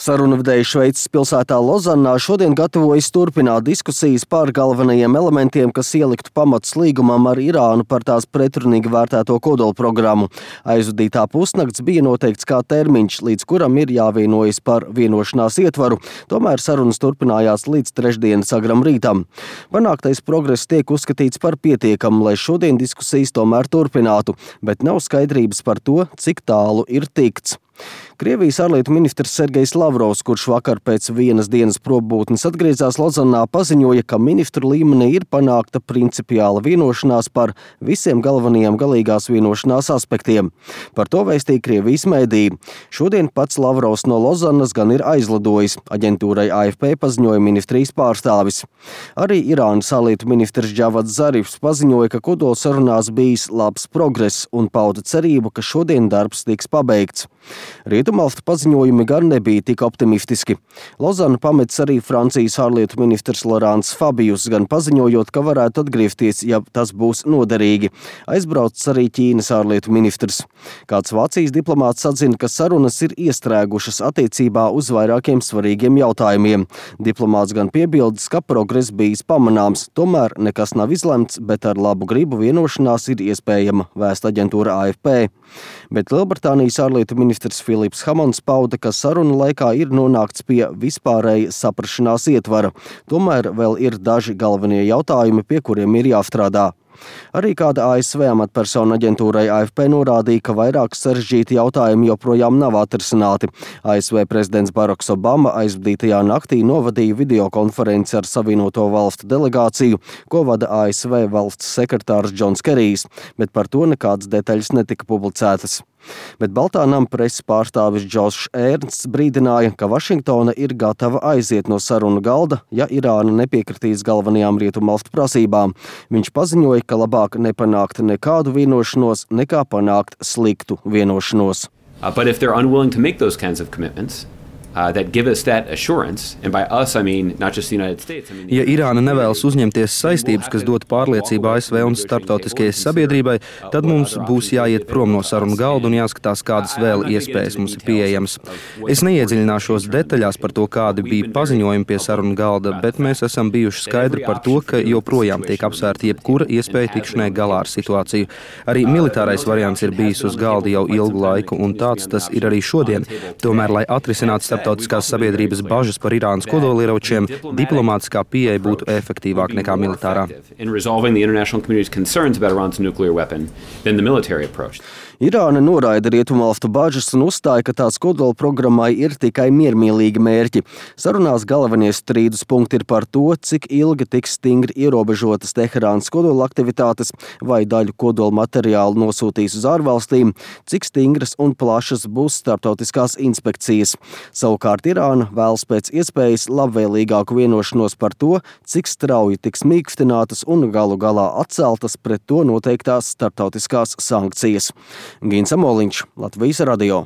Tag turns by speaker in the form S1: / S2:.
S1: Sarunvedēji Šveices pilsētā Lozannā šodien gatavojas turpināt diskusijas par galvenajiem elementiem, kas ieliktu pamats līgumam ar Irānu par tās pretrunīgi vērtēto kodolprogrammu. Aizvadītā pusnakts bija noteikts kā termiņš, līdz kuram ir jāvienojas par vienošanās ietvaru. Tomēr sarunas turpinājās līdz trešdienas agram rītam. Panāktais progress tiek uzskatīts par pietiekamu, lai šodien diskusijas tomēr turpinātu, bet nav skaidrības par to, cik tālu ir tikts. Krievijas ārlietu ministrs Sergejs Lavrovs, kurš vakar pēc vienas dienas probūtnes atgriezās Lozannā, paziņoja, ka ministru līmenī ir panākta principiāla vienošanās par visiem galvenajiem galīgās vienošanās aspektiem. Par to vēstīja Krievijas mēdīji. Šodien pats Lavrovs no Lozannas gan ir aizlidojis. Aģentūrai AFP paziņoja ministrijas pārstāvis. Arī Irānas ārlietu ministrs Džavads Zarifs paziņoja, ka kodolsarunās bijis labs progress un pauda cerību, ka šodien darbs tiks pabeigts. Rietumalstu paziņojumi gan nebija tik optimistiski. Lozannu pamets arī Francijas ārlietu ministrs Laurents Fabius, gan paziņojot, ka varētu atgriezties, ja tas būs noderīgi. Aizbraucis arī Ķīnas ārlietu ministrs. Kāds Vācijas diplomāts atzina, ka sarunas ir iestrēgušas attiecībā uz vairākiem svarīgiem jautājumiem. Diplomāts gan piebildes, ka progress bijis pamanāms, tomēr nekas nav izlemts, bet ar labu gribu vienošanās ir iespējama, vēsta aģentūra AFP. Bet Lielbritānijas ārlietu ministrs Filips Hamons pauda, ka sarunu laikā ir nonākts pie vispārēja saprašanās ietvara. Tomēr vēl ir daži galvenie jautājumi, pie kuriem ir jāstrādā. Arī kāda ASV amatpersona aģentūrai AFP norādīja, ka vairāk sarežģīti jautājumi joprojām nav atrisināti. ASV prezidents Baraks Obama aizvadītajā naktī novadīja videokonferenci ar Savienoto valstu delegāciju, ko vada ASV valsts sekretārs Džons Kerijs, bet par to nekādas detaļas netika publicētas. Bet Baltā nama preses pārstāvis Džošs Ernsts brīdināja, ka Vašingtona ir gatava aiziet no sarunu galda, ja Irāna nepiekritīs galvenajām rietumalstu prasībām. Viņš paziņoja, ka labāk nepanākt nekādu vienošanos, nekā panākt sliktu vienošanos.
S2: But if they're unwilling to make those kinds of commitments, that give us that assurance, and by us I mean not just the United States.
S3: Ja Irāna nevēlas uzņemties saistības, kas dod pārliecību ASV un starptautiskajai sabiedrībai, tad mums būs jāiet prom no sarunu galda un jāskatās, kādas vēl iespējas mums ir pieejamas. Es neiedziļināšos detaļās par to, kādi bija paziņojumi pie sarunu galda, bet mēs esam bijuši skaidri par to, ka joprojām tiek apsvērta jebkura iespēja tikšanai galā ar situāciju. Arī militārais variants ir bijis uz galda jau ilgu laiku, un tāds tas ir arī šodien. Tomēr, lai atrisinātu starptautiskās sabiedrības bažas par Irānas kodolieročiem, diplomātiskā pieeja būtu efektīvāka nekā militārā.
S1: Irāna noraida rietumalstu bažas un uzstāja, ka tās kodolprogrammai ir tikai miermīlīgi mērķi. Sarunās galvenie strīdus punkti ir par to, cik ilgi tiks stingri ierobežotas Teherānas kodola aktivitātes vai daļu kodola materiālu nosūtīs uz ārvalstīm, cik stingras un plašas būs starptautiskās inspekcijas. Savukārt Irāna vēlas pēc iespējas labvēlīgāku vienošanos par to, cik strauji tiks mīkstinātas un galu galā atceltas pret to noteiktās starptautiskās sankcijas. Gins Amoliņš, Latvijas radio.